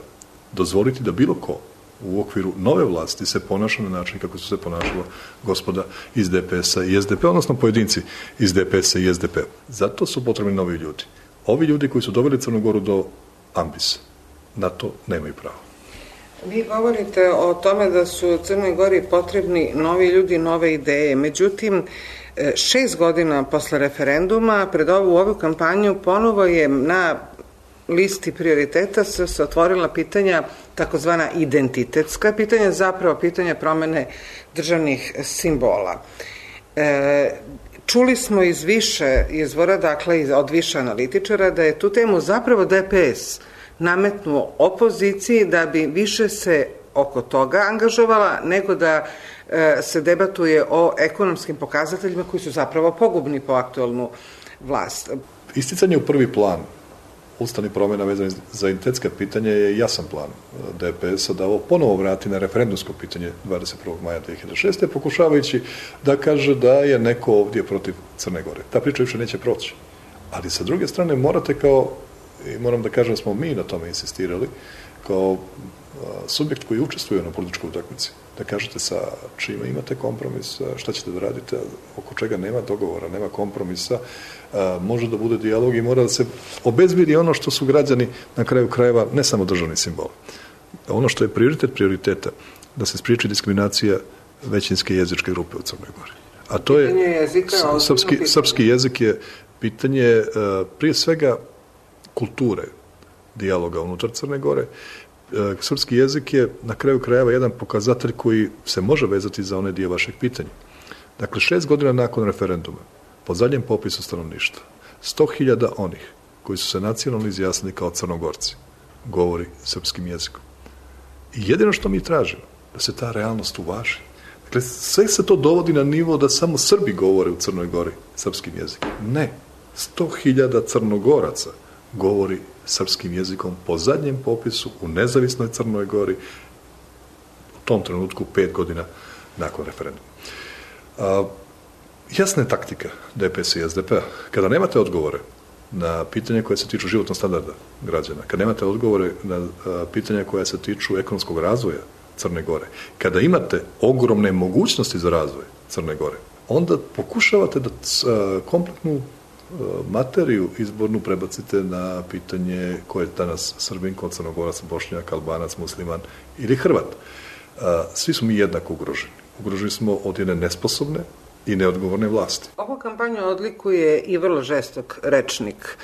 dozvoliti da bilo ko u okviru nove vlasti se ponaša na način kako su se ponašala gospoda iz DPS-a i SDP, odnosno pojedinci iz DPS-a i SDP. Zato su potrebni novi ljudi. Ovi ljudi koji su doveli Crnu Goru do ambisa, na to nemaju pravo. Vi govorite o tome da su Crnoj Gori potrebni novi ljudi, nove ideje. Međutim, 6 godina posle referenduma, pred ovu kampanju, ponovo je na listi prioriteta se otvorila pitanja, takozvana identitetska pitanja, zapravo pitanja promene državnih simbola. Čuli smo iz više izvora, dakle od više analitičara, da je tu temu zapravo DPS nametnuo opoziciji da bi više se oko toga angažovala nego da se debatuje o ekonomskim pokazateljima koji su zapravo pogubni po aktualnu vlast. Isticanje u prvi plan ustavnih promjena vezane za identitetska pitanja je jasan plan DPS-a da ovo ponovo vrati na referendumsko pitanje 21. maja 2006. pokušavajući da kaže da je neko ovdje protiv Crne Gore. Ta priča više neće proći. Ali sa druge strane morate i moram da kažem da smo mi na tome insistirali, kao subjekt koji učestvuje na političkoj utakmici, da kažete sa čime imate kompromis, šta ćete da radite, oko čega nema dogovora, nema kompromisa, može da bude dijalog i mora da se obezbedi ono što su građani na kraju krajeva, ne samo državni simbol. Ono što je prioritet prioriteta, da se spriječi diskriminacija većinske jezičke grupe u Crnoj Gori. A to je, srpski jezik je pitanje prije svega kulture dijaloga unutar Crne Gore. Srpski jezik je na kraju krajeva jedan pokazatelj koji se može vezati za one dio vašeg pitanja. Dakle, 6 godina nakon referenduma, po zadnjem popisu stanovništva, 100.000 onih koji su se nacionalno izjasnili kao Crnogorci govori srpskim jezikom. I jedino što mi tražimo, da se ta realnost uvaži. Dakle, sve se to dovodi na nivo da samo Srbi govore u Crnoj Gori srpskim jezikom. Ne, 100.000 Crnogoraca govori srpskim jezikom po zadnjem popisu u nezavisnoj Crnoj Gori u tom trenutku 5 godina nakon referenduma. Jasna je taktika DPS i SDP-a. Kada nemate odgovore na pitanje koje se tiču životnog standarda građana, kada nemate odgovore na pitanja koja se tiču ekonomskog razvoja Crne Gore, kada imate ogromne mogućnosti za razvoj Crne Gore, onda pokušavate da kompletnu materiju izbornu prebacite na pitanje ko je danas Srbin, ko Crnogorac, Bošnjak, Albanac, Musliman ili Hrvat. Svi smo mi jednako ugroženi. Ugroženi smo od jedne nesposobne i neodgovorne vlasti. Ovu kampanju odlikuje i vrlo žestok rečnik.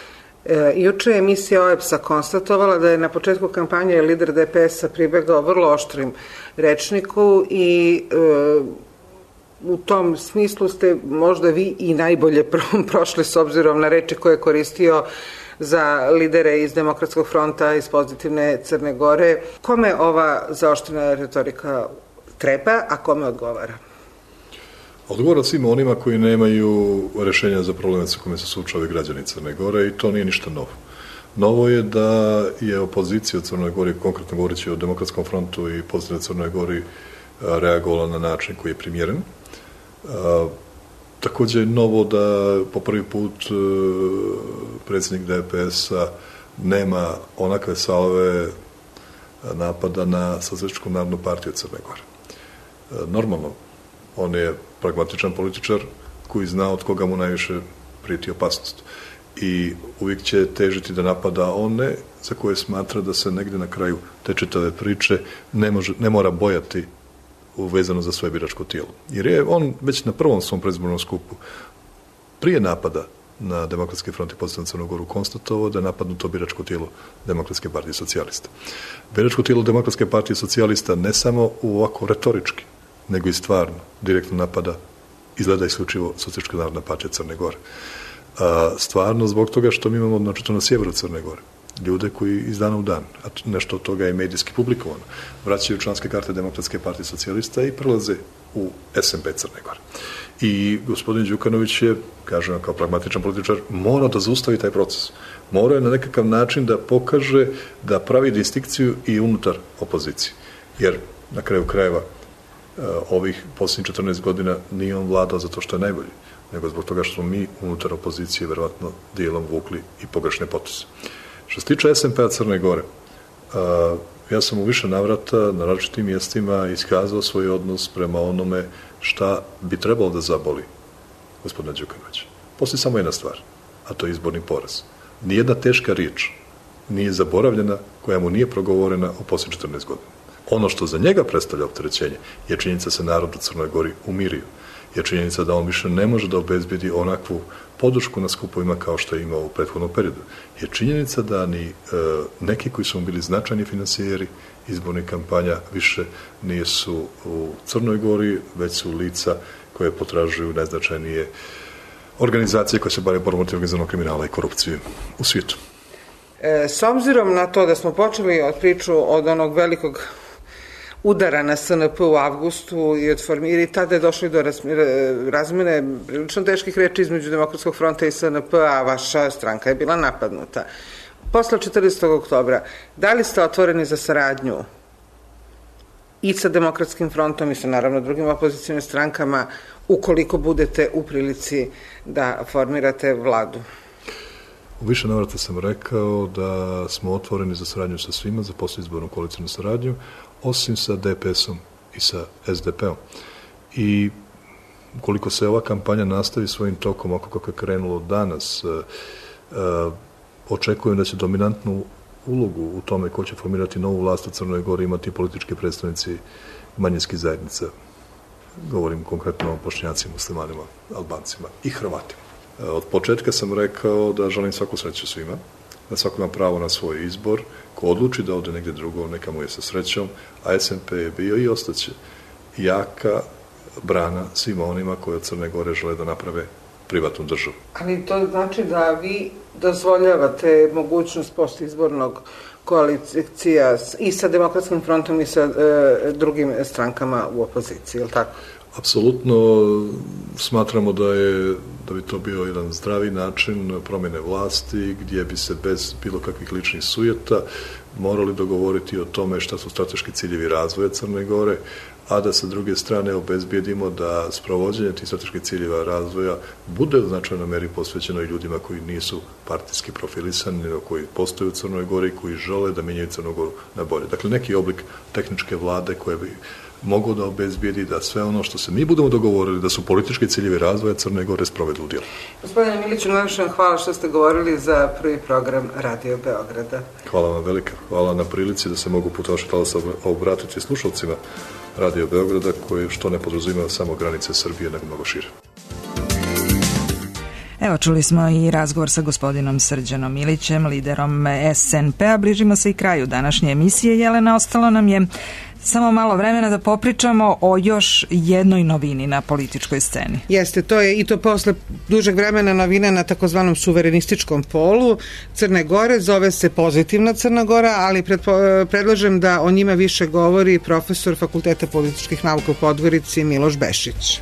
Juče je emisija OEBS-a konstatovala da je na početku kampanje lider DPS-a pribegao vrlo oštrim rečniku i u tom smislu ste možda vi i najbolje prošli s obzirom na reči koje je koristio za lidere iz Demokratskog fronta, iz Pozitivne Crne Gore. Kome ova zaoštrena retorika treba, a kome odgovara? Odgovara svima onima koji nemaju rešenja za probleme sa kojima se suočavaju građani Crne Gore i to nije ništa novo. Novo je da je opozicija u Crnoj Gori, konkretno govoreći o Demokratskom frontu i Pozitivnoj Crnoj Gori, reagovala na način koji je primjeren. Također je novo da po prvi put predsjednik DPS-a nema onakve salve napada na Socijalističku narodnu partiju Crne Gore. Normalno, on je pragmatičan političar koji zna od koga mu najviše prijeti opasnost. I uvijek će težiti da napada one za koje smatra da se negdje na kraju te čitave priče ne mora bojati vezano za svoje biračko tijelo. Jer je on već na prvom svom predizbornom skupu prije napada na Demokratski front i Pozitivnu Crnu Goru konstatovao da je napadnuto biračko tijelo Demokratske partije socijalista. Biračko tijelo Demokratske partije socijalista ne samo u ovako retorički, nego i stvarno direktno napada izgleda isključivo Socijalistička narodna partija Crne Gore. Stvarno zbog toga što mi imamo načito na sjeveru Crne Gore ljude koji iz dana u dan, a nešto od toga je medijski publikovano, vraćaju članske karte Demokratske partije socijalista i prelaze u SNP Crne Gore. I gospodin Đukanović je, kažem kao pragmatičan političar, mora da zaustavi taj proces. Mora je na nekakav način da pokaže da pravi distinkciju i unutar opozicije. Jer na kraju krajeva ovih posljednjih 14 godina nije on vladao zato što je najbolji, nego zbog toga što smo mi unutar opozicije verovatno dijelom vukli i pogrešne poteze. Što se tiče SNP-a Crne Gore, ja sam u više navrata na različitim mjestima iskazao svoj odnos prema onome šta bi trebalo da zaboli gospodina Đukanovića. Postoji samo jedna stvar, a to je izborni poraz. Nijedna teška riječ nije zaboravljena koja mu nije progovorena u posljednjih 14 godina. Ono što za njega predstavlja opterećenje je činjenica se narod u Crnoj Gori umirio. Je činjenica da on više ne može da obezbedi onakvu podršku na skupovima kao što je imao u prethodnom periodu. Je činjenica da ni neki koji su bili značajni finansijeri izbornih kampanja više nisu u Crnoj Gori, već su lica koje potražuju najznačajnije organizacije koje se bave borbom protiv organizovanog kriminala i korupcije u svijetu. S obzirom na to da smo počeli od priču od onog velikog udara na SNP u avgustu i tada je došlo do razmene prilično teških reči između Demokratskog fronta i SNP, a vaša stranka je bila napadnuta. Posle 14. oktobra, da li ste otvoreni za saradnju i sa Demokratskim frontom i sa naravno drugim opozicijnim strankama ukoliko budete u prilici da formirate vladu? U više navrata sam rekao da smo otvoreni za saradnju sa svima, za posleizbornu koalicijnu saradnju, osim sa DPS-om i sa SDP-om. I koliko se ova kampanja nastavi svojim tokom, oko kako je krenulo danas, očekujem da će dominantnu ulogu u tome ko će formirati novu vlast u Crnoj Gori imati politički predstavnici manjinskih zajednica. Govorim konkretno o Bošnjacima, Muslimanima, Albancima i Hrvatima. Od početka sam rekao da želim svaku sreću svima, da svako ima pravo na svoj izbor, ko odluči da ode negdje drugo, neka mu je sa srećom, a SNP je bio i ostaće jaka brana svima onima koji od Crne Gore žele da naprave privatnu državu. Ali to znači da vi dozvoljavate mogućnost postizbornog koalicija i sa Demokratskim frontom i sa drugim strankama u opoziciji, je li tako? Apsolutno smatramo da bi to bio jedan zdravi način promjene vlasti gdje bi se bez bilo kakvih ličnih sujeta morali dogovoriti o tome šta su strateški ciljevi razvoja Crne Gore, a da sa druge strane obezbijedimo da sprovođenje tih strateških ciljeva razvoja bude u značajnoj meri posvećeno i ljudima koji nisu partijski profilisani, nego koji postoje u Crnoj Gori i koji žele da mijenjaju Crnu Goru na bolje. Dakle, neki oblik tehničke vlade koje bi mogu da obezbijedi da sve ono što se mi budemo dogovorili da su politički ciljevi razvoja Crne Gore sprovedu u djelo. Gospodine Miliću, najviše vam hvala što ste govorili za prvi program Radio Beograda. Hvala vam velika. Hvala na prilici da se mogu puta vašeg talasa obratiti slušalcima Radio Beograda koji što ne podrazumijeva samo granice Srbije, nego mnogo šire. Evo, čuli smo i razgovor sa gospodinom Srđanom Milićem, liderom SNP-a. Bližimo se i kraju današnje emisije. Jelena, ostalo nam je samo malo vremena da popričamo o još jednoj novini na političkoj sceni. Jeste, to je i to posle dužeg vremena novina na takozvanom suverenističkom polu Crne Gore, zove se Pozitivna Crna Gora, ali predlažem da o njima više govori profesor Fakulteta političkih nauka u Podgorici Miloš Bešić.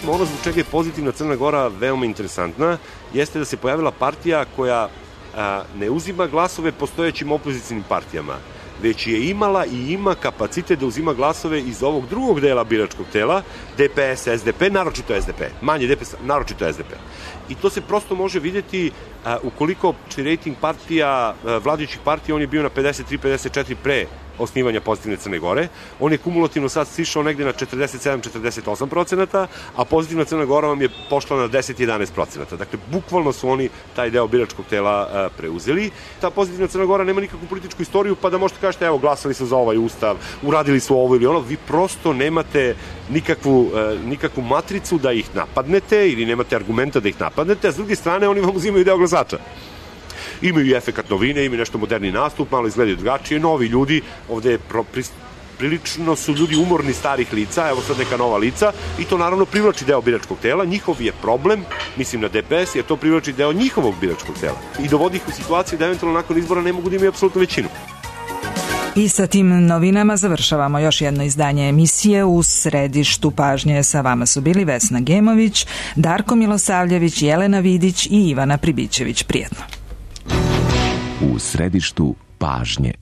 Ono zbog čega je Pozitivna Crna Gora veoma interesantna jeste da se pojavila partija koja ne uzima glasove postojećim opozicijnim partijama, već je imala i ima kapacitet da uzima glasove iz ovog drugog dela biračkog tela, DPS, SDP, naročito SDP, manje DPS, naročito SDP. I to se prosto može vidjeti ukoliko rejting partija, vladajućih partija, on je bio na 53-54 pre osnivanja Pozitivne Crne Gore. On je kumulativno sad sišao negde na 47-48%, a Pozitivna Crna Gora vam je pošla na 10-11%. Dakle, bukvalno su oni taj deo biračkog tela preuzeli. Ta Pozitivna Crna Gora nema nikakvu političku istoriju, pa da možete kažete, evo, glasali su za ovaj ustav, uradili su ovo ili ono, vi prosto nemate nikakvu matricu da ih napadnete ili nemate argumenta da ih napadnete, a s druge strane oni vam uzimaju deo glasača. Imaju i efekat novine, imaju nešto moderni nastup, malo izgledaju drugačije, novi ljudi, ovde prilično su ljudi umorni starih lica, evo sad neka nova lica, i to naravno privlači deo biračkog tela. Njihov je problem, mislim na DPS, jer to privlači deo njihovog biračkog tela i dovodi ih u situaciju da eventualno nakon izbora ne mogu da imaju apsolutnu većinu. I sa tim novinama završavamo još jedno izdanje emisije. U središtu pažnje sa vama su bili Vesna Gemović, Darko Milosavljević, Jelena Vidić i Ivana Pribićević. Prijetno. U središtu pažnje.